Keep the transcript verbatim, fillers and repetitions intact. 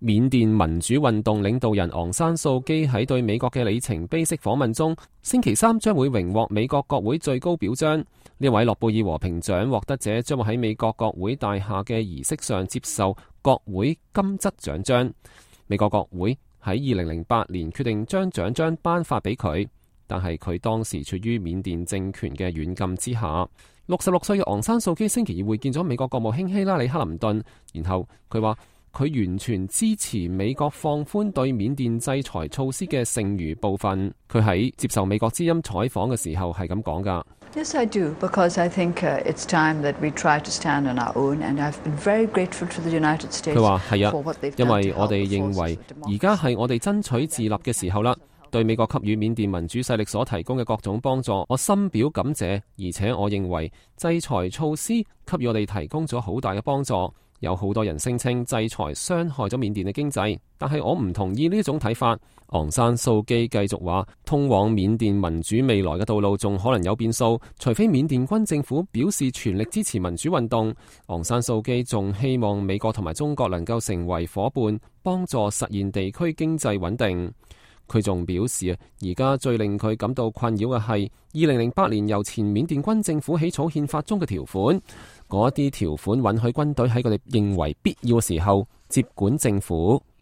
緬甸民主運動領導人昂山素基喺對美國嘅里程碑式訪問中，星期三將會榮獲美國國會最高表彰。呢位諾貝爾和平獎獲得者將會喺美國國會大廈嘅儀式上接受國會金質獎章。美國國會喺二零零八年決定將獎章頒發俾佢，但係佢當時處於緬甸政權嘅軟禁之下。六十六歲嘅昂山素基星期二會見咗美國國務卿希拉里克林頓，然後佢話佢完全支持美國放寬對緬甸制裁措施嘅剩餘部分。佢喺接受美國之音採訪嘅時候係咁講㗎。Yes, I do, because I think it's time that we try to stand on our own, and I've been very grateful to the United States. 佢話係啊，因為我哋認為而家係我哋爭取自立嘅時候啦。對美國給予緬甸民主勢力所提供嘅各種幫助，我深表感謝。而且我認為制裁措施給予我哋提供咗好大嘅幫助。有好多人聲稱制裁傷害咗緬甸嘅經濟，但係我唔同意呢種睇法。昂山素基繼續話，通往緬甸民主未來嘅道路仲可能有變數，除非緬甸軍政府表示全力支持民主運動。昂山素基仲希望美國同埋中國能夠成為夥伴，幫助實現地區經濟穩定。佢仲表示啊，而家最令佢感到困擾嘅係二零零八年由前緬甸軍政府起草憲法中嘅條款，嗰啲條款允許軍隊喺佢哋認為必要嘅時候接管政府。